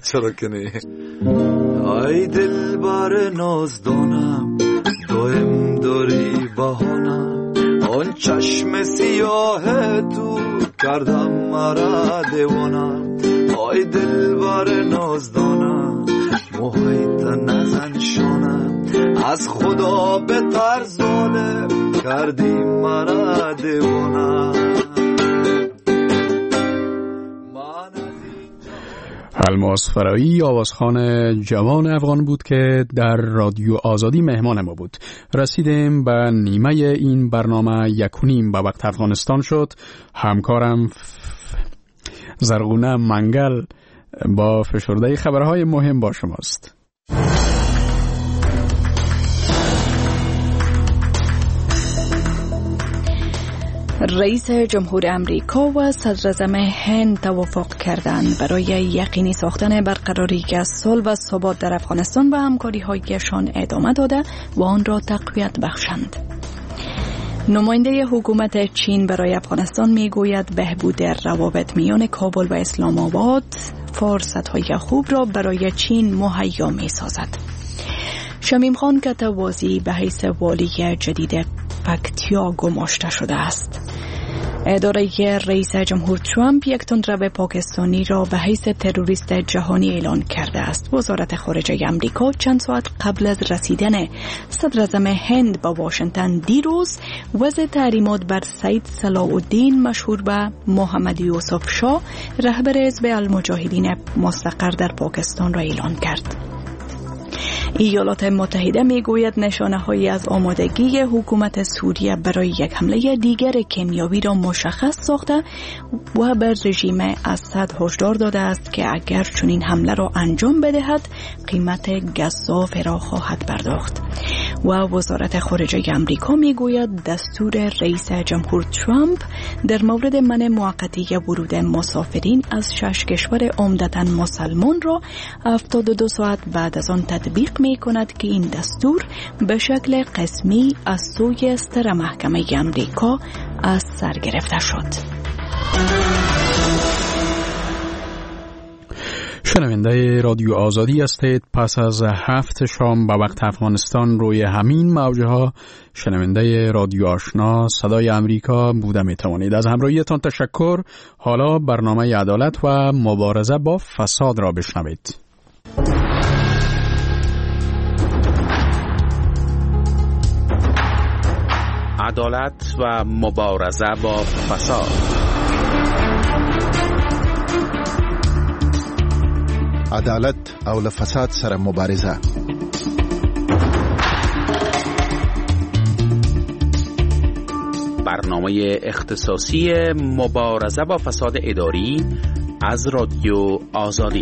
چرا که نه. ای دلبر نازدانم، دائم داری بهانم، آن چشم سیاه تو کردم مرا دیوانم. ای دلبر نازدانم، موهای تا نزن شانم، از خدا بتر ظالم کردی مرا دیوانم. الماس فرایی آوازخوان جوان افغان بود که در رادیو آزادی مهمان ما بود. رسیدیم به نیمه این برنامه، 1:30 به وقت افغانستان شد. همکارم زرغونه منگل با فشرده خبرهای مهم با شماست. رئیس جمهور امریکا و صدراعظم هند توافق کردند برای یقینی ساختن برقراری صلح و ثبات در افغانستان و همکاری‌هایشان ادامه داده و آن را تقویت بخشند. نماینده حکومت چین برای افغانستان میگوید بهبود روابط میان کابل و اسلام آباد فرصت‌های خوب را برای چین مهیا می‌سازد. شمیم خان کتوازی به حیث والی جدید پکتیا گماشته شده است. اداره رئیس جمهور ترامپ یک تندرو پاکستانی را به حیث تروریست جهانی اعلان کرده است. وزارت خارجه امریکا چند ساعت قبل از رسیدن صدراعظم هند به واشنگتن دیروز وضع تحریمات بر سید صلاح الدین مشهور به محمد یوسف شاه رهبر حزب المجاهدین مستقر در پاکستان را اعلان کرد. ایالات متحده میگوید نشانه هایی از آمادگی حکومت سوریه برای یک حمله دیگر کیمیاوی را مشخص ساخته و بر رژیم اسد هشدار داده است که اگر چنین حمله را انجام بدهد قیمت گزاف را خواهد پرداخت. و وزارت خارجه امریکا میگوید دستور رئیس جمهور ترامپ در مورد منع موقتی ورود مسافرین از 6 کشور عمدتاً مسلمان را 72 ساعت بعد از آن تطبیق می کند که این دستور به شکل قسمی از سوی ستره محکمه امریکا از سر گرفته شد. شنونده رادیو آزادی هستید. پس از 7 شام به وقت افغانستان روی همین موجها شنونده رادیو آشنا صدای امریکا بوده می توانید. از همراهیتان تشکر. حالا برنامه عدالت و مبارزه با فساد را بشنوید. عدالت و مبارزه با فساد. عدالت او له فساد سره مبارزه. برنامه اختصاصی مبارزه با فساد اداری از رادیو آزادی.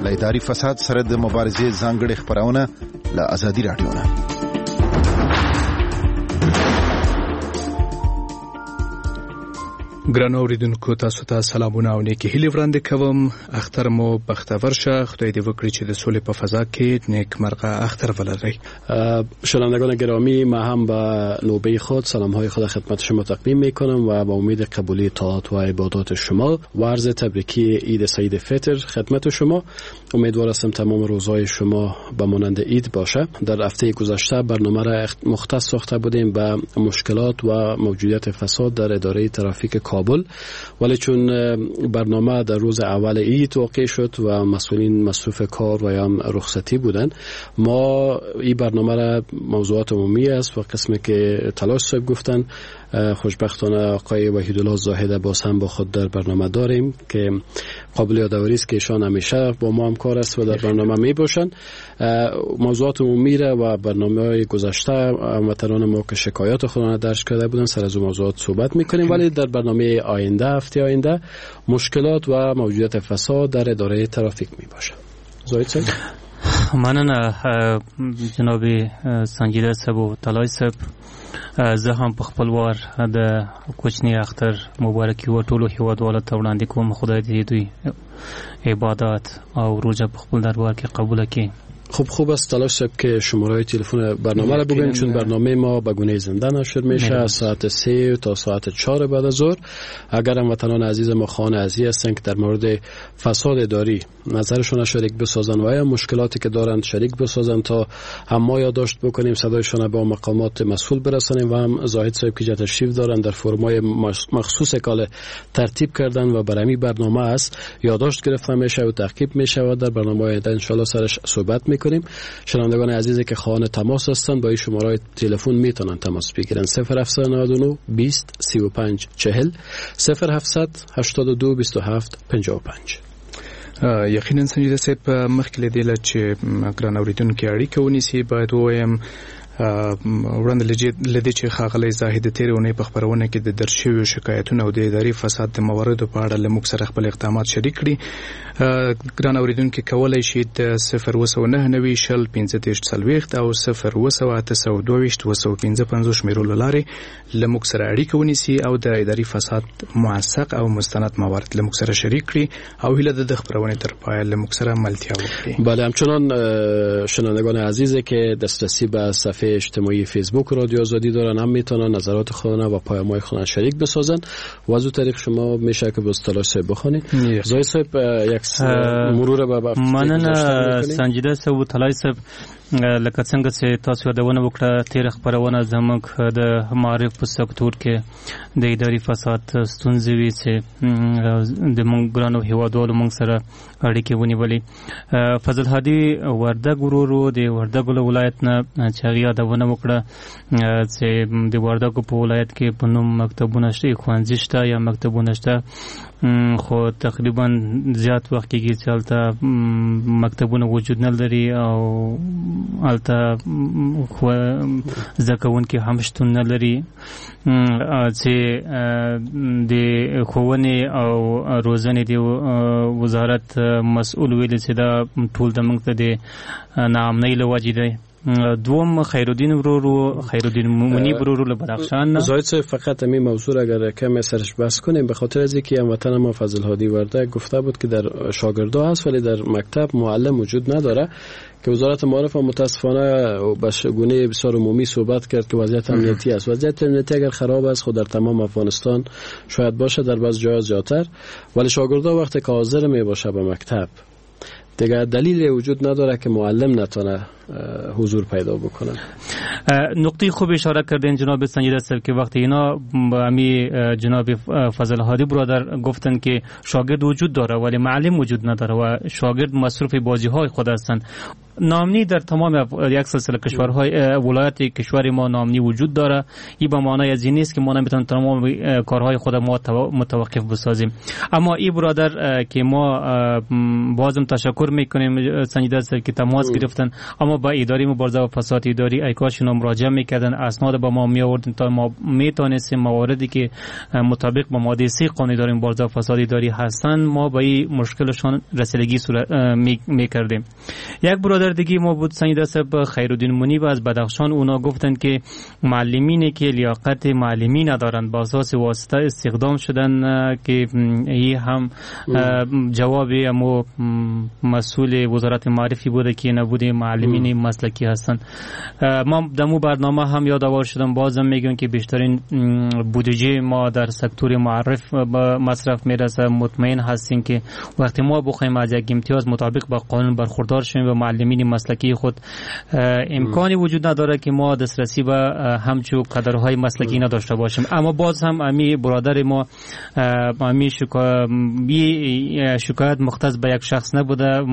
له اداري فساد سره د مبارزې ځانګړې خپرونه له ازادي راډیو نه. ګرانو اوریدونکو تاسو ته سلامونه او نیکې هیلې وړاندې کوم. اختر مو بختور شه. خدای دې وکړي چې د سولې په فضا کې نیکمرغه اختر ولرئ. شنوندگان گرامی، ما هم به نوبه خود سلام های خود خدمت شما تقدیم میکنم و با امید قبولی طاعات و عبادات شما و عرض تبریکی عید سعید فطر خدمت شما. امیدوار هستم تمام روزهای شما به مانند عید باشه. در هفته گذشته برنامه را مختص ساخته بودیم به مشکلات و موجودیت فساد در اداره ترافیک کابل، ولی چون برنامه در روز اول عید واقع شد و مسئولین مصروف کار و یا رخصتی بودند، ما این برنامه را موضوعات عمومی است و قسمی که تلاش صاحب گفتن، خوشبختانه آقای وحیدالله زاهد باز هم با خود در برنامه داریم که قابل یادآوری است که ایشان همیشه با ما همکار است و در برنامه می باشند. موضوعات عمومی را و برنامه‌های گذشته هموطنان ما که شکایات خود را درج کرده بودند سر از موضوعات صحبت می‌کنیم، ولی در برنامه آینده، هفته آینده، مشکلات و موجودیت فساد در اداره ترافیک می باشد. زاهد صاحب. مننه جناب سنجیده صاحب او تلای صاحب. زه هم په خپل وار د کوچني اختر مبارکي و ټولو هیوادوالو ته وړاندې کوم. خدای دې دوی عبادت او روژه په خپل دربار کې قبوله کړي. خب خوب است تلاش صاحب که شماره تلفن برنامه را بگوییم، چون برنامه ما به گونه زنده نشر میشه از ساعت 3 تا ساعت 4 بعد از ظهر. اگر هموطنان عزیز ما خانه عزیز هستند که در مورد فساد اداری نظرشون شریک بسازن و یا مشکلاتی که دارند شریک بسازن تا هم ما یادداشت بکنیم، صدایشان به مقامات مسئول برسانیم و هم زاهد صاحب که تشریف دارند در فرمای مخصوص کال ترتیب کردن و برای برنامه است یادداشت گرفته میشه و تعقیب میشه و در برنامه آینده ان شاء الله سرش صحبت میکنیم. شنوندگان عزیزی که خواهان تماس هستند با این شماره تلفن میتونن تماس بگیرن: 0799 20 35 40 0782 27 55. یقینا سنجیده صاحب، مخکې له دې چې ګران اوریدونکي اړیکه ونیسي باید ووایم وړاندې له دې چې ښاغلی زاهد د تېرې اونۍ په خپرونه کې د درج شویو شکایتونو او د اداري فساد د مواردو په اړه له موږ سره خپل اقدامات شریک کړي، ګران اوریدونکي کولی شي د 0999 شل 35 40 او 0722 855 شمېرو له لارې له موږ سره اړیکه ونیسي او د اداري فساد موثق او مستند موارد له موږ سره شریک کړي او هیله ده د خپرونې تر پایه له موږ سره ملتیا وکړي. بله، همچنان شنوندگان عزیزی که دسترسی به صفحه اجتماعی فیسبوک رادیو آزادی دارن هم میتونن نظرات خودشون و پیام‌های خودشون شریک بسازن و از اون طریق شما میشه که به تلاش صاحب بخونید. زاهد صاحب یک مرور به مننه سنجیده صاحب و تلاش صاحب. لکه څنګه چې تاسو یادونه وکړه، تېره خپرونه زموږ د معارف په سکتور کې د اداري فساد ستونزې وې چې د موږ ګرانو هیوادوالو موږ سره اړیکې ونیولې. فضل هادي وردګ ورور و د وردګو له ولایت نه چې هغې یادونه وکړه چې د وردګو په ولایت کې په نوم مکتبونه شته، ښوونځي شته یا مکتبونه شته، خو تقریبا زیات وخت کېږي چې هلته مکتبونه وجود نه لري او هلته زده کوونکي هم شتون نه لري چې د ښوونې او روزنې د وزارت مسؤل ویلي چې دا ټول د موږ ته د ناامنۍ له وجې دی. دوم خیرالدین ورور، خیرالدین منیب ورور له بدخشان. زاهد صاحب فقط همین موضوع اگر کم سرش بحث کنیم، به خاطر از اینکه هموطن ما فضل هادی وردک گفته بود که در شاگردا هست ولی در مکتب معلم وجود نداره که وزارت معارف متاسفانه به گونه بسیار عمومی صحبت کرد که وضعیت امنیتی است. وضعیت امنیتی اگر خراب است خود در تمام افغانستان شاید باشه، در بعض جاها زیادتر، ولی شاگردا وقتی که حاضر می باشه به مکتب دیگه دلیل وجود نداره که معلم نتونه حضور پیدا بکنه. نقطه خوب اشاره کردین جناب سنجیده صاحب که وقتی اینا امی جناب فضل هادی برادر گفتن که شاگرد وجود داره ولی معلم وجود نداره و شاگرد مصروف بازی های خود هستند. نامنی در تمام یک سلسله کشورهای ولایت کشور ما نامنی وجود داره. این به معنای از این نیست که ما نمیتونیم تمام کارهای خود ما متوقف بسازیم. اما این برادر که ما بازم تشکر میکنیم سنجیده صاحب که تماس گرفتن، اما با اداره مبارزه با فساد اداری ای کاش اینا مراجعه میکردن، اسناد با ما میآوردن تا ما میتونستیم مواردی که مطابق با ماده 3 قانون اداره مبارزه با فساد اداری هستن ما با این مشکلشان رسیدگی میکردیم. یک برادر دیگه ما بود سنجیده صاحب خیرالدین منیب از بدخشان، اونا گفتند که معلمینی که لیاقت معلمی ندارند با اساس واسطه استخدام شدن که این هم جواب امو مسئول وزارت معارفی بوده که نبوده معلمین مسلکی هستند. ما دمو برنامه هم یادآور شدم، بازم میگم که بیشترین بودجه ما در سکتور معارف مصرف میرسه. مطمئن هستیم که وقتی ما بخوایم از یک امتیاز مطابق با قانون برخوردار شویم و معلمین مسلکی خود امکانی وجود نداره که ما دسترسی به همچو قدرهای مسلکی نداشته باشیم. اما باز هم امی برادر ما امی شکایت مختص به یک شخص نبوده،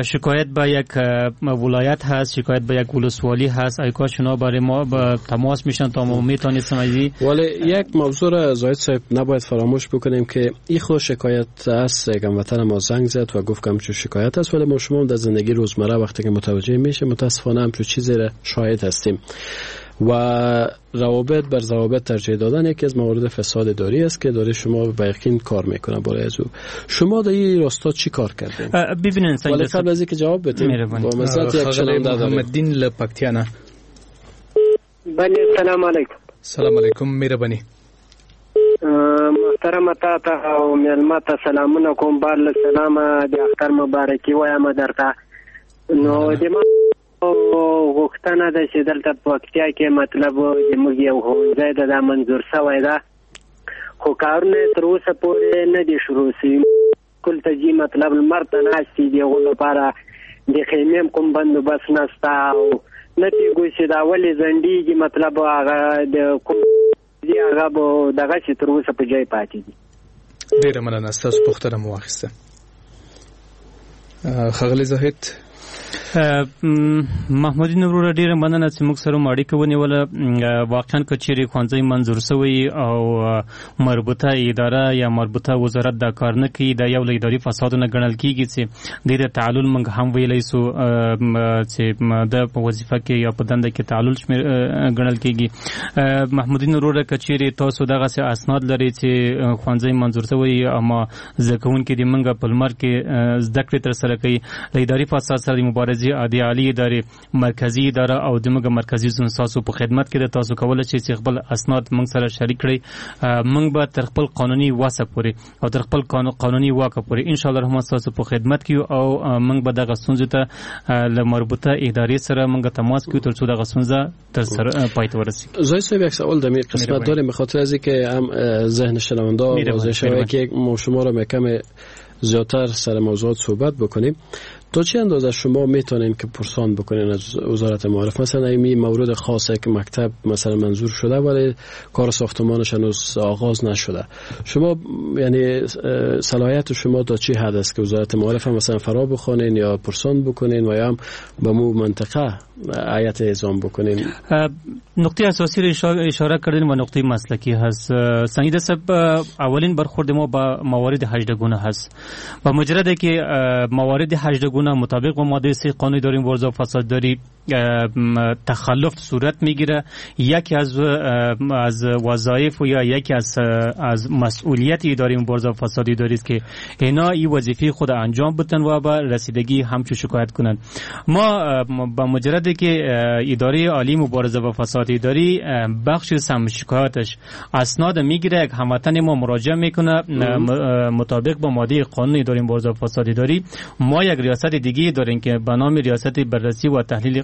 شکایت به یک ولایت هست، شکایت به یک ولسوالی هست. ای کاش اینا برای ما با تماس میشن تا ما میتونستیم از این. ولی یک موضوع را زاهد صاحب نباید فراموش بکنیم که این خود شکایت است. یک هموطن ما زنگ زد و گفت که همچون شکایت است، ولی ما شما در زندگی روزمره وقتی که متوجه میشه متاسفانه همچون چیزی را شاهد هستیم و روابط بر ضوابط ترجیح دادن یکی از موارد فساد اداری است که داره شما به یقین کار میکنه بالای از او. شما در این راستا چی کار کردین؟ ببینین ولی قبل از اینکه جواب بدیم با مثلا یک شنونده داریم، محمد دین له پکتیا نه. بله، سلام علیکم. سلام علیکم، مهرباني. محترمه تا ته او مېلمه ته سلامونه کوم، بار له سلامه د اختر مبارکي وایم درته. نو د ما غوښتنه ده چې دلته په پکتیا کې مطلب زموږ یو ښوونځی ده، دا منظور سوی ده، خو کارونه یې تر اوسه پورې نه دي شروع سوي. کل ته ځي مطلب لمر ته ناست دي، د هغو لپاره د خیمې هم کوم بندوبست نسته او نه پوهېږو چې دا ولې ځنډېږي. مطلب هغه د کوم دي هغه به دغسې تر اوسه په ځای پاتې دي. ډېره مننه، ستاسو پوښتنه مو واخیسته. ښاغلی زاهد. محمودین وروره ډیره مننه چې موږ سره مو اړیکه ونیوله. واقعا که چیرې ښوونځی منظور سوی او مربوطه اداره یا مربوطه وزارت دا کار نه کوي، دا یو له اداري فسادونه ګڼل کیږي چې دې ته تعلل موږ هم ویلی سو چې د په وظیفه کې یا په دنده کې تعلل شمېر ګڼل کیږي. محمودین وروره که چیرې تاسو دغسې اسناد لرئ چې ښوونځی منظور سوی اما زده کوونکي دې موږ په لمر کې زده کړې ترسره کوي، له اداري فساد سره د مبارزې د عالی ادارې مرکزی اداره او د موږ مرکزی زون ستاسو په خدمت کې ده. تاسو کولای شئ چې خپل اسناد موږ سره شریک کړئ. موږ به تر خپل قانوني وسه پورې او تر خپل قانوني واکه پورې ان شاء الله رحمان ستاسو په خدمت کې یو او موږ به دغه ستونزې ته له مربوطه ادارې سره موږ تماس کې تر څو دغه ستونزه تر سره پای ته ورسیږي. زاهد صاحب یک سوال در این قسمت داریم، به خاطر از اینکه هم ذهن شنونده واضح شود که ما شما را کم زیادتر سر موضوعات صحبت بکنیم. تا چه اندازه شما میتونین که پرسان بکنین از وزارت معارف؟ مثلا این مورد خاصه که مکتب مثلا منظور شده ولی کار ساختمانش هنوز آغاز نشده، شما یعنی صلاحیت شما تا چه حد است که وزارت معارف هم مثلا فرا بخونین یا پرسان بکنین و یا هم به مو منطقه هیئت اعزام بکنین؟ نقطه اساسی رو اشاره کردین و نقطه مسلکی هست. سنجیده صاحب، اولین برخورد ما با موارد 18 گونه هست. با مجرد که موارد 18 گونه مطابق با ماده 3 قانون اداری مبارزه با فساد داری تخلف صورت میگیره، یکی از وظایف و یا یکی از مسئولیت اداره مبارزه با فساد اداری است که اینا این وظیفه خود انجام بدن و با رسیدگی همچو شکایت کنند. ما با مجرد که اداره عالی مبارزه با فساد اداری بخش سم شکایتش اسناد میگیره، یک هموطن ما مراجعه میکنه مطابق با ماده قانون اداره مبارزه با فساد اداری، ما یک ریاست دیگه داریم که به نام ریاست بررسی و تحلیل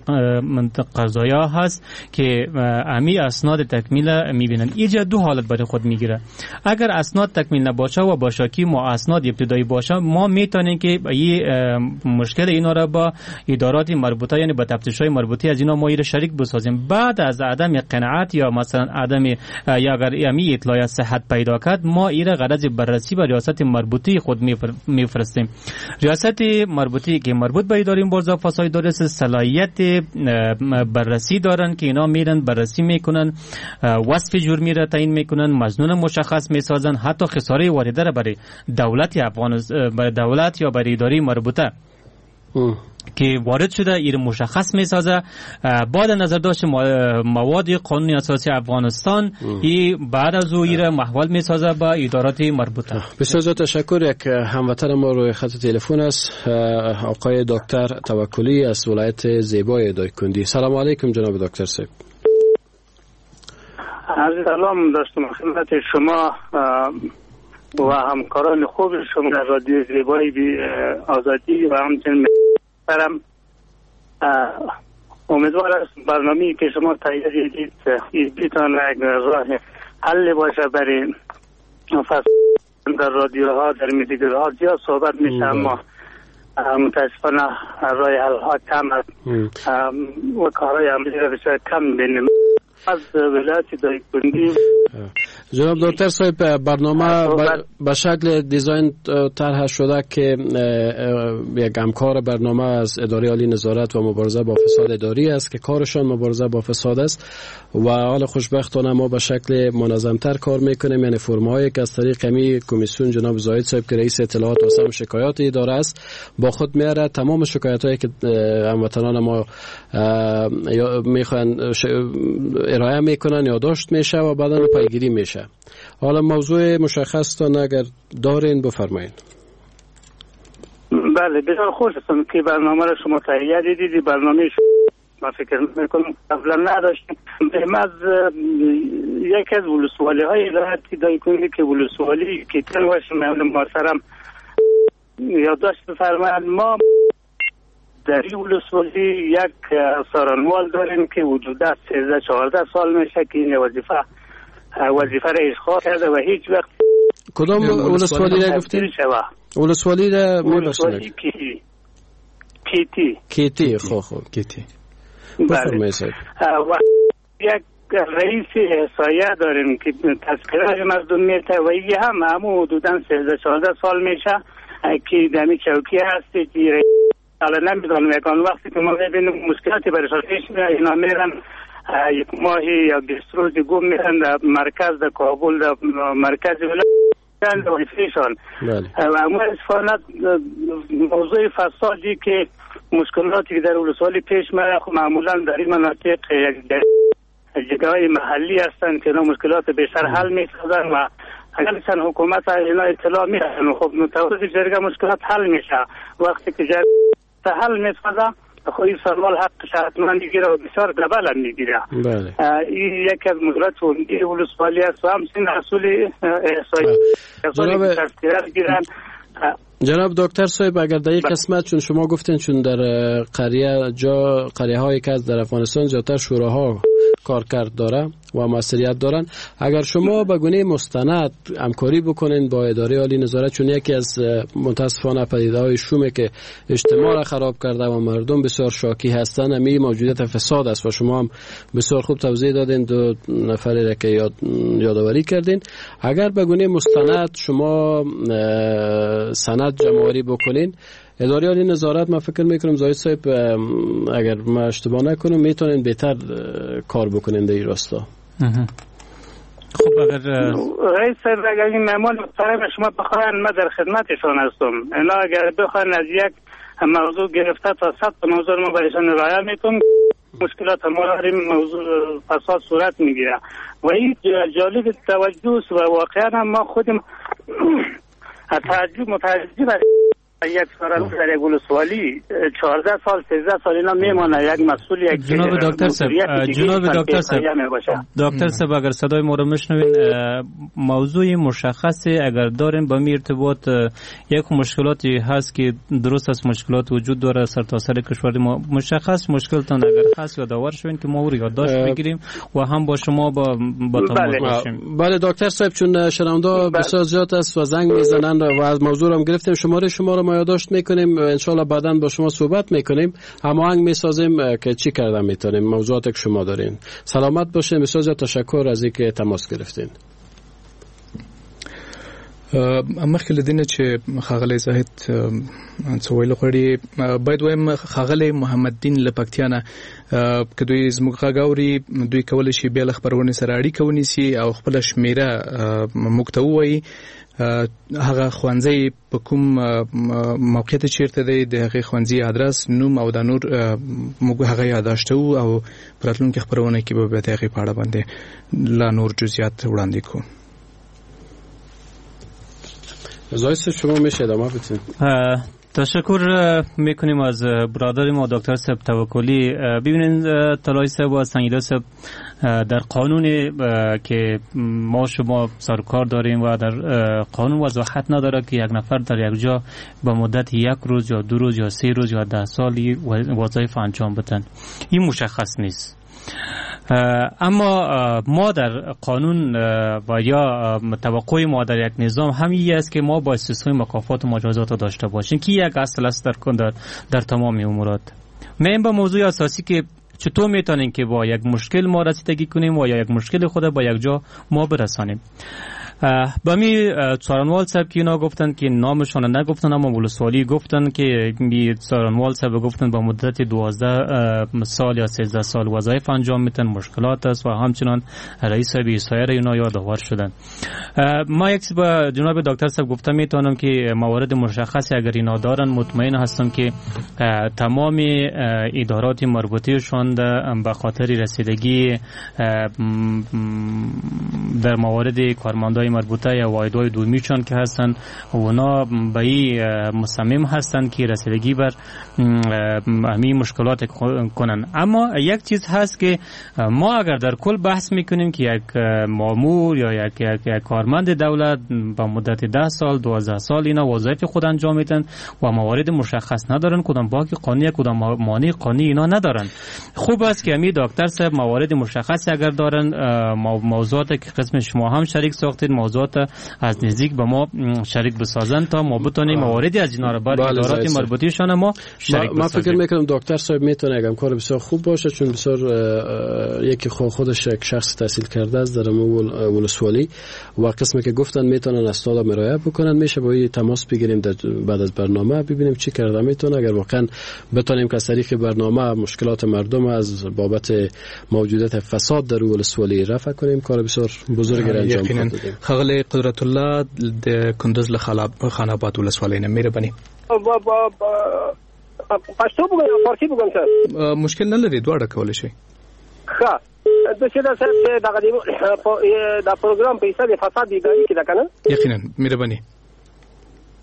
قضایا هست که امی اسناد تکمیل میبینن. اینجا دو حالت برای خود میگیره. اگر اسناد تکمیل نباشه و با شاکی ما اسناد ابتدایی باشه، ما میتونیم که این مشکل اینا را با ادارات مربوطه یعنی با تفتیش‌های مربوطه از اینا ما ایره شریک بسازیم. بعد از عدم قناعت یا مثلا عدم یا اگر امی اطلاع صحت پیدا کرد، ما ایره غرض بررسی به ریاست مربوطه خود میفرستیم. ریاست مربوطه که مربوط به اداره مبارزه با فساد اداری صلاحیت بررسی دارن که اینا میرن بررسی میکنن، وصف جرمی را تعیین میکنن، مظنون مشخص میسازن، حتی خساره وارده را برای دولت افغانستان، برای دولت یا برای اداره مربوطه که وارد شده ایر مشخص میسازه. بعد نظر داشت مواد قانون اساسی افغانستان ای بعد از او ایر محول میسازه با ادارات مربوطه. بسیار زیاد تشکر. یک هموطن ما روی خط تلفن است، آقای دکتر توکلی از ولایت زیبای دایکندی. سلام علیکم جناب دکتر صاحب. عرض سلام داشتم خدمت شما و همکاران خوب شما در رادیو زیبای آزادی و همچنین برم. امیدوار است برنامه‌ای که شما تهیه دیدید بتواند یک راه حل باشه برای فساد در رادیوها، در میدیاها زیاد صحبت میشه، اما متاسفانه راه حل ها کم است و کارهای عملی را بسیار کم بینیم. از ولایت دایکندی جناب دکتر صاحب، برنامه به شکل دیزاین طرح شده که یک همکار برنامه از اداره عالی نظارت و مبارزه با فساد اداری است که کارشان مبارزه با فساد است و حال خوشبختانه ما به شکل منظمتر کار میکنیم، یعنی فرم‌هایی که از طریق می کمیسیون جناب زاهد صاحب که رئیس اطلاعات و سم شکایات اداره است با خود میاره، تمام شکایت هایی که هموطنان ما میخوان ارائه میکنن یادداشت میشه و بعدا پیگیری میشه. حالا موضوع مشخص تان اگر دارین بفرمایید. بله، بسیار خوش هستم که برنامه را شما تهیه دیدید. برنامه ما فکر میکنم قبلا نداشتیم. از یکی از ولسوالی های ولایت دایکنی که ولسوالی کیتن باشه محترم یادداشت بفرمایند، ما در این ولسوالی یک سارنوال داریم که حدود 13-14 سال میشه که این وظیفه را اشغال کرده و هیچ وقت. کدام ولسوالی را گفتید؟ ولسوالی را میبخشید. کیتی. خب کیتی. بفرمایید. و یک رئیس احصایه داریم که تذکره مردم میته و این هم همون حدوداً 13-14 سال میشه که دمی چوکی هستی که حالا نمیدونم یکان وقتی که ما ببینیم مشکلاتی برشان پیش میاد، اینا میرن یک ماهی یا 20 روز گم میرن در مرکز، در کابل، در مرکز ولایت وظیفه‌شان. و متاسفانه موضوع فسادی که مشکلاتی که در ولسوالی پیش میاد، خب معمولا در این مناطق یک جگه‌های محلی هستند که اینا مشکلات بیشتر حل می‌سازن و اگر چند حکومت اینا اطلاع میدن، خب متوسط جرگه مشکلات حل میشه. وقتی که جرگه حل میسازه، خب این سوال حقش حتما میگیره و بسیار دبل هم میگیره. بله. این یکی از مشکلات عمده ولسوالی است و همچنین اصول احصایی گیرن. جناب دکتر صاحب، اگر در یک قسمت چون شما گفتین چون در قریه جا قریه هایی که در افغانستان زیادتر شوراها کارکرد داره و مسئولیت دارن، اگر شما به گونه مستند همکاری بکنین با اداره عالی نظارت، چون یکی از متاسفانه پدیده‌های شومه که اجتماع را خراب کرده و مردم بسیار شاکی هستند، همین موجودیت فساد است و شما هم بسیار خوب توضیح دادین، دو نفری را که یادآوری کردین. اگر به گونه مستند شما سند جمع‌آوری بکنین، اداره عالی نظارت، من فکر میکنم زاهد صاحب اگر ما اشتباه نکنم میتونین بهتر کار بکنین در این راستا. خب اگر رئیس صاحب، اگر این مهمان محترم شما بخواین ما در خدمتشان هستم. اینا اگر بخواین از یک موضوع گرفته تا 100 موضوع ما برایشان ارائه میکنم، مشکلات ما داریم، موضوع فساد صورت میگیره و این جالب توجه و واقعا ما خودم متعجب یک سال در یک ولسوالی 14 سال 13 سال اینا میمانه یک مسئول یک جناب دکتر صاحب، جناب دکتر صاحب، دکتر صاحب اگر صدای ما رو میشنوین، موضوع مشخصی اگر داریم با می ارتباط یک مشکلاتی هست که درست از مشکلات وجود داره سرتاسر کشور ما، مشخص مشکلتان اگر هست یادآور شوین که ما او رو یادداشت بگیریم و هم با شما با تماس باشیم. بله دکتر صاحب، چون شنونده بسیار زیاد است و زنگ میزنن و از موضوع هم گرفتیم، شماره شما رو ما یادداشت میکنیم، ان شاء الله بعداً با شما صحبت میکنیم، هماهنگ میسازیم که چی کردن میتونیم موضوعات که شما دارین. سلامت باشین، بسیار زیاد تشکر از اینکه تماس گرفتین. مخکې له دې نه چې ښاغلی زاهد څه ویل غواړي، باید وایم ښاغلی محمد دین له پکتیا نه که دوی زموږ غږ اوري، دوی کولی شي بیا له خپرونې سره اړیکه ونیسي او خپله شمېره موږ ته ووایي، هغه ښوونځی په کوم موقعیت چیرته دی، د هغې ښوونځي ادرس، نوم او دا نور موږ هغه یادداشتوو او په راتلونکې خپرونه کې به بیا د هغې په اړه باندې لا نور جزئیات وړاندې کړو. زاهد شما میشه ادامه بدین. تشکر میکنیم از برادر ما دکتر صاحب توکلی. ببینید طلایی صاحب و سنگیده صاحب، در قانون که ما شما سرکار داریم و در قانون وضاحت نداره که یک نفر در یک جا به مدت یک روز یا 2 روز یا 3 روز یا 10 سال وظایف انجام بدن، این مشخص نیست. اما ما در قانون و یا توقع ما در یک نظام همین است که ما با سیستم مکافات و مجازات داشته باشیم که یک اصل است در تمام امورات. من با موضوع اساسی که چطور میتونیم که با یک مشکل ما رسیدگی کنیم و یا یک مشکل خود با یک جا ما برسانیم. با می سارنوال صاحب که اینا گفتن که نامشان نگفتن، اما ولسوالی گفتن که می سارنوال صاحب گفتن با مدت 12 سال یا 13 سال وظایف انجام میتن، مشکلات است و همچنان رئیس صاحب سایر اینا یادآور شدن. ما یک با جناب دکتر صاحب گفتم میتونم که موارد مشخصی اگر اینا دارن، مطمئن هستم که تمام ادارات مربوطهشان به خاطر رسیدگی در موارد کارمندای واحدهای مربوطه یا واحدهای دومیشان که هستن اونا به این مصمم هستند که رسیدگی بر همین مشکلات کنن. اما یک چیز هست که ما اگر در کل بحث میکنیم که یک مامور یا یک کارمند دولت با مدت 10 سال 12 سال اینا وظایف خود انجام میدن و موارد مشخص ندارن، کدام باک قانونی کدام مانع قانونی اینا ندارن. خوب است که همین دکتر صاحب موارد مشخص اگر دارن، موضوعات که قسم شما هم شریک ساختید، موضوعات از نزدیک به ما شریک بسازن تا ما بتونیم مواردی از اینا را بر ادارات مربوطه‌شان ما شریک بسازیم. ما فکر میکنم دکتر صاحب میتونه اگه کار بسیار خوب باشه، چون بسیار یکی خودش یک شخص تحصیل کرده است در ولسوالی و قسمی که گفتن میتونن اسناد مراجعه بکنن، میشه با این تماس بگیریم در بعد از برنامه ببینیم چی کرده میتونه. اگر واقعا بتونیم که از طریق برنامه مشکلات مردم از بابت موجودیت فساد در ولسوالی رفع کنیم، کار بسیار بزرگی را انجام خواهد دادیم. ښاغلی قدرت الله د کندز له خان آباد ولسوالۍ نه، مهرباني. پښتو بګم یا فارسی بګم سر؟ مشکل نه لري، دواړه کولی شئ. ښه، داسې ده صاحب چې دغه دا پروګرام په حساب فساد اداري کې ده که نه؟ یقینا، مهرباني.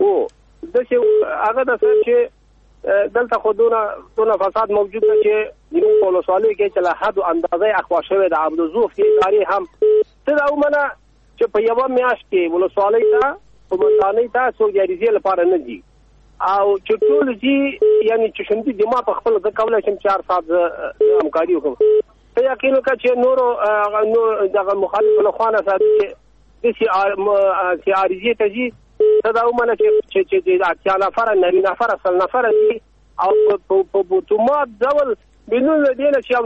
او داسې هغه ده صاحب چې دلته خو دونه فساد موجود ده چې زموږ په ولسوالۍ کې چې له حد و اندازې اخوا شوې ده. عبدالزوف کې ادارې هم څه دا ومنه چې په یوه میاشت کې ولسوالۍ ته قومندانۍ ته څوک د عریضې لپاره نه ځي، او چې ټول ځي یعنې چې شندي دما په خپله زه کولی شم چې هر ساعت زه همکاري وکړم. ته یقین وکړه چې نورو دغه مخالفو له خوا نه ساتي چې داسې عریضې ته ځي، ته دا ومنه چې 80 نفره 90 نفره 100 نفره ځي او په اتومات ډول بدون له دې نه چې یو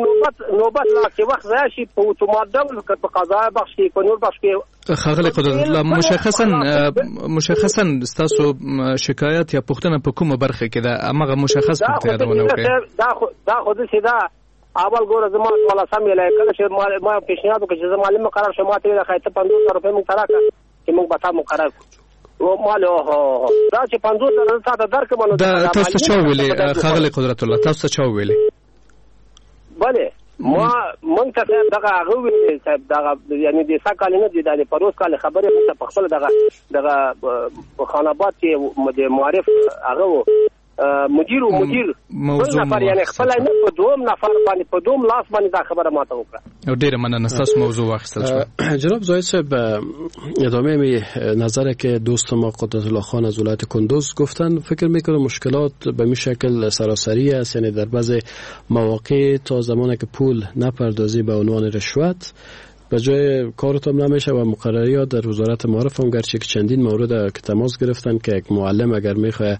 نوبت لا کې وخت ضایع شي، په اتومات ډول که په قضا بخش کې په نور بخش کې. ښاغلی قدرت الله، مشخصا ستاسو شکایت یا پوښتنه په کومه برخه کې ده؟ هماغه مشخص پوښتنه یادونه وکړئ. دا خو داسې ده، اول ګوره زما څوارلسم یې کله چې ما پیشنهاد وکړ چې زه معلم مقرر شم، ما ته ویل ښایي ته 50,000 روپۍ موږ ته راکړه چې موږ به تا مقرر کړو. مال دا چې 50,000 تا ته درکړم. نو دا تاسو ته چا ویلي ښاغلی قدرت الله؟ تاسو ته چا ویلي؟ بله، ما مونږ ته صاحب دغه هغه ویلي صاحب، دغه یعنې د سږ کال نه دی، دا د پروس کال خبرې مونږ ته په خپله دغه په خان آباد کې د معارف هغه و مدیر و مدیر بل نفر، یعنې خپله نه په دوم نفر باندې په دوم لاس باندې دا خبره ماته وکړه. او ډېره مننه، ستاسو موضوع واخیستل شوه. جناب زاهد صاحب، ادامه می نظر که دوست ما قدرت الله خان از ولایت کندز گفتن، فکر میکنم مشکلات به می شکل سراسری است، یعنی در بعض مواقع تا زمانی که پول نپردازی به عنوان رشوت به جای کارتون نمیشه و مقرری ها در وزارت معارف هم گرچه که چندین مورد که تماس گرفتن که یک معلم اگر میخواه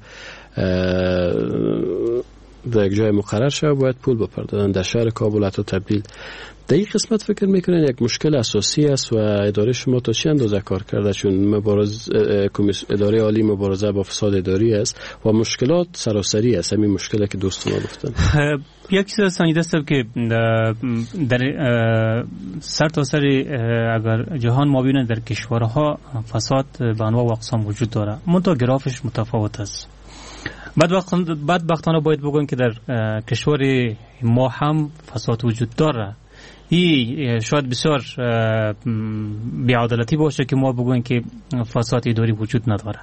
در یک جای مقرر شود باید پول بپردازن، در شهر کابل حتی تبدیل. در این قسمت فکر میکنن یک مشکل اساسی است و اداره شما تا چه اندازه کار کرده، چون اداره عالی مبارزه با فساد اداری است و مشکلات سراسری است، همین مشکلی که دوست ما گفتن. یک چیز سنجیده است که در سر تا سر اگر جهان ما ببینیم در کشورها فساد به انواع و اقسام وجود داره، منتها گرافش متفاوت است. بدبختانه باید بگویم که در کشور ما هم فساد وجود داره. این شاید بسیار بی‌عدالتی باشه که ما بگوییم که فساد اداری وجود نداره.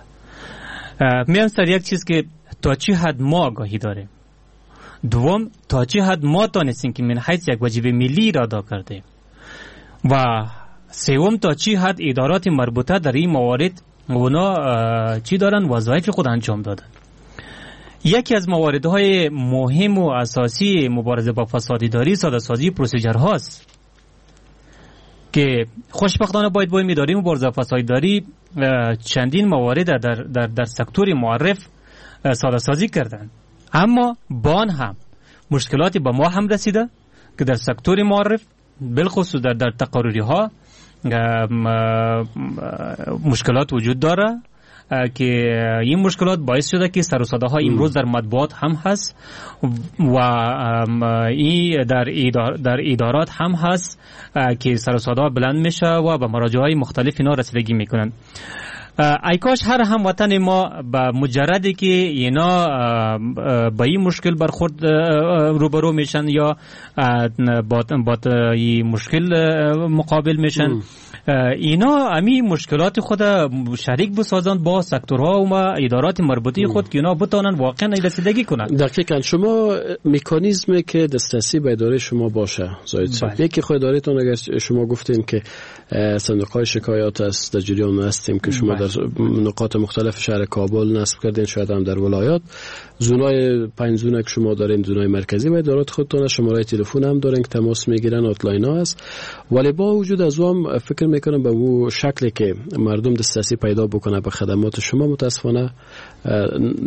میام سر یک چیز که تا چه حد ما آگاهی داریم، دوم تا چه حد ما تانستیم که من حیث یک واجب ملی را ادا کردیم، و سوم تا چه حد ادارات مربوطه در این موارد اونا چی دارن وظایف خود انجام دادن. یکی از مواردهای مهم و اساسی مبارزه با فساد اداری ساده‌سازی پروسیجر هاست که خوشبختانه باید با اداره مبارزه با فساد اداری چندین موارد در در در سکتور معرف ساده‌سازی کردند، اما بان هم مشکلاتی به ما هم رسیده که در سکتور معرف بالخصوص در تقرری ها مشکلات وجود داره که این مشکلات باعث شده که سر و صداها امروز در مطبوعات هم هست و این در ادارات هم هست که سر و صدا بلند میشه و به مراجع های مختلف اینا رسیدگی میکنن. ای کاش هر هموطن ما به مجردی که اینا با این مشکل برخورد روبرو میشن یا با این مشکل مقابل میشن، اینا امی مشکلات خود شریک بسازند با سکتورها و ادارات مربوطه خود که اینا بتونن واقعا رسیدگی کنند. دقیقاً شما مکانیزمی که دسترسی به اداره شما باشه زاید صاحب، یکی خود ادارهتون اگر شما گفتین که صندوق‌های شکایات است، در جریان هستیم که شما در نقاط مختلف شهر کابل نصب کردین، شاید هم در ولایات، زونای 5 زونه که شما دارین، زونای مرکزی و ادارات خودتون، شماره تلفن هم دارین که تماس میگیرن، hotline ها است. ولی با وجود از اون فکر میکنم به اون شکلی که مردم دسترسی پیدا بکنه به خدمات شما متاسفانه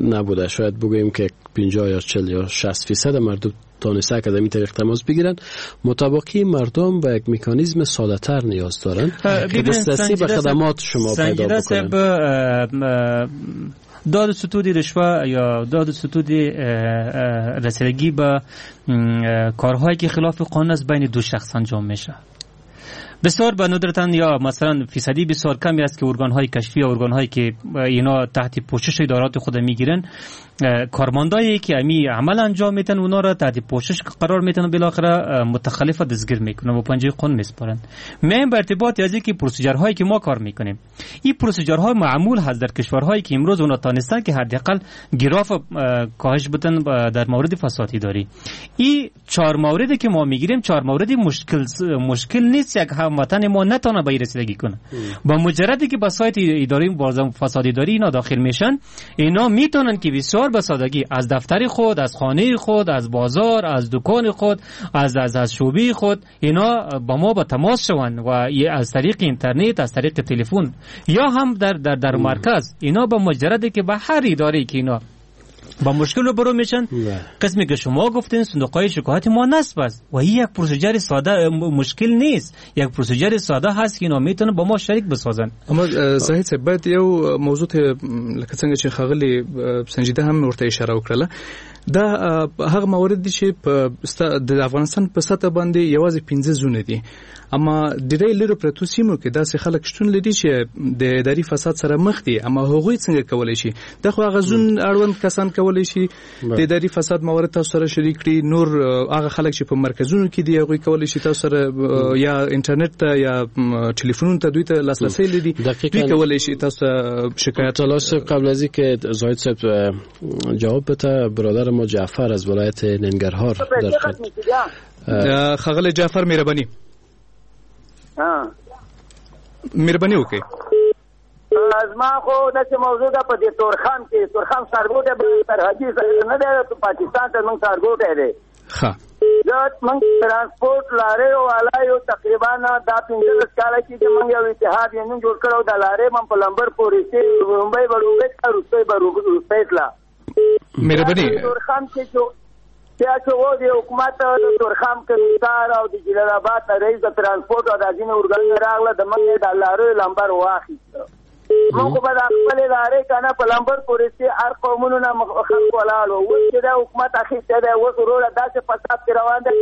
نبوده. شاید بگوییم که 50 یا 40 یا 60% مردم تانسته که از این طریق تماس بگیرن. متباقی مردم به یک مکانیزم ساده تر نیاز دارن که دسترسی به خدمات شما پیدا بکنن. داد ستودی رشوه یا داد ستودی رسیدگی به کارهایی که خلاف قانون است بین دو شخص انجام میشه. بسیار به ندرتن یا مثلا فیصدی بسیار کمی است که ارگان‌های کشفی یا ارگان‌هایی که اینا تحت پوشش ادارات خود میگیرن، کارمندایی که امی عمل انجام میتن اونا را تحت پوشش قرار میتن و بالاخره متخلف دستگیر میکنن و پنجه قانون میسپارن. من به ارتباط از اینکه procedure هایی که ما کار میکنیم، این procedure ها معمول هست در کشورهایی که امروز اونا تانستن که حداقل گراف کاهش بدن در مورد فساد اداری. این 4 موردی که ما میگیریم 4 مورد مشکل نیست یک هموطن ما نتونه به رسیدگی کنه. با مجردی که با سایت اداری مبارزه فساد اداری اینا داخل میشن، اینا میتونن که بسیار به سادگی از دفتر خود، از خانه خود، از بازار، از دکان خود، از شعبه خود اینا با ما با تماس شوند و از طریق اینترنت، از طریق تلفن یا هم در در در مرکز اینا با مجردی که به هر اداره که اینا با مشکل روبرو میشن، قسمی که شما گفتین صندوق‌های شکایت ما نصب است و این یک procedure ساده مشکل نیست، یک procedure ساده هست که اینا میتونن با ما شریک بسازن. اما زاهد صاحب باید یو موضوع ته لکه څنګه چې ښاغلي سنجیده هم ورته اشاره وکړله، دا هغه موارد دي چې د افغانستان په سطح باندې یوازې 15 زونه دي، اما ډېری لرو پرتو سیمو کې داسې خلک شتون لري چې د اداري فساد سره مخ دي، اما هغوی څنګه کولی شي؟ دا خو هغه زون اړوند کسان کولی شي د اداري فساد موارد تاسو سره شریک کړي، نور هغه خلک چې په مرکزونو کې دي هغوی کولی شي تاسو سره یا انټرنیټ ته یا ټلیفونونو ته دوی ته لاسرسی لري، دوی کولی شي تاسو شکایت. تلاش قبل از اینکه زاهد صاحب جواب بده، برادر ما جعفر از ولایت ننگرهار در خط. ښاغلی جعفر مهرباني مهرباني وکړئ. زما خو داسې موضوع ده په دې تورخم کې، تورخم ښارګوټی سرحدي نه دی، پاکستان ته زموږ ښارګوټی دی. ښه، زه موږ ترانسپورت لاریو والا یو، تقریبا دا 15 کاله کېږي موږ یو اتحاد یونین جوړ کړی او د لارۍ مې په لمبر پورې چې لومړی به لومړی تله، وروستی به وروستی تله. مهرباني. تورخم کې چې بیا چې و د حکومت د تورخم کمیسار او د جلال آباد رئیس د ترانسپورت او د ځینې ارګانونه راغله، د موږ د لاریو لمبر واخیست. موږ خو به د خپلې لارۍ که نه په لمبر پورې چې هر قومونو نه خلک ولاړ وو. اوس چې دا حکومت اخیستی دی، اوس وروره داسې فساد کې روان دی،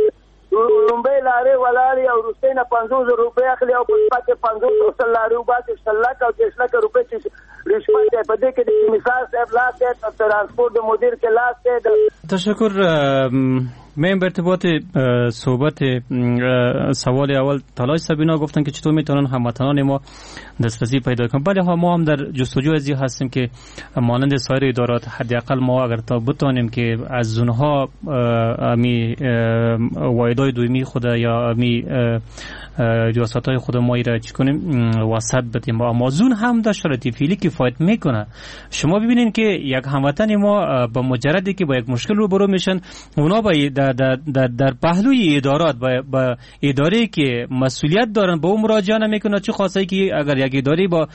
لومړۍ لارۍ ولاړې او وروستۍ نه 50,000 روپۍ اخلي او په شپه کې 50 او 100 لارۍ وباسي، 100 لکه او 30 لکه روپۍ چې رشوت دی. په دې کې د کمیسار صاحب لاس دی، د ترانسپورت د مدیر کې لاس دی. تشکر. من به ارتباط صحبت سوال اول تلاش سبینا گفتن که چطور میتونن هموطنان ما دسترسی پیدا کنن. بله ها، ما هم در جستجو از این هستیم که مانند سایر ادارات حداقل ما اگر تا بتانیم که از اونها امی واحدهای دومی خود یا امی ریاست‌های خود ما را چی کنیم وسط بدیم. آمازون هم در شرایط فعلی کفایت میکنه. شما ببینین که یک هموطن ما با مجردی که با یک مشکل روبرو میشن، اونا با در پهلوی ادارات با اداره که مسئولیت دارن با اون مراجعه نمیکنه. چه خاصه که اگر یک اداره با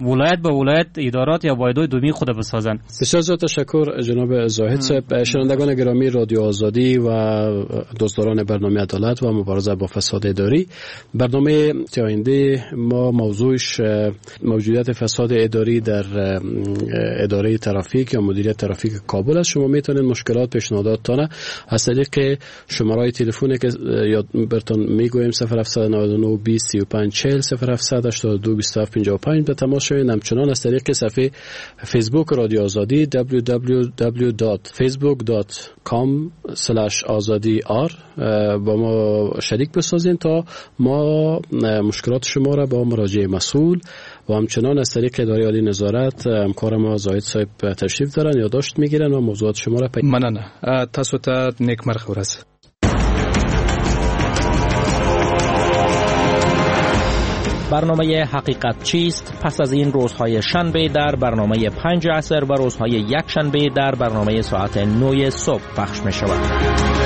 ولایت با ولایت ادارات یا واحدهای دومی خود بسازن. بسیار زیاد تشکر جناب زاهد صاحب. شنوندگان گرامی رادیو آزادی و دوستداران برنامه عدالت و مبارزه با فساد اداری، برنامه آینده ما موضوعش موجودیت فساد اداری در اداره ترافیک یا مدیریت ترافیک کابل است. شما میتونید مشکلات پیشنهاداتتان از طریق طریق شماره تلفن که یاد برتون میگویم 0799 20 35 40 0782 27 55 به تماس شوید. همچنان از طریق صفحه فیسبوک رادیو آزادی www.facebook.com/azadiR با ما شریک بسازین تا ما مشکلات شما را با مراجع مسئول و همچنان از طریق اداره عالی نظارت همکار ما زاهد صاحب تشریف دارن، یادداشت میگیرن و موضوعات شما را مننه. تاسو ته نیکمرغه ورځ. برنامه حقیقت چیست پس از این روزهای شنبه در برنامه 5 عصر و روزهای یک شنبه در برنامه ساعت 9 صبح پخش می شود.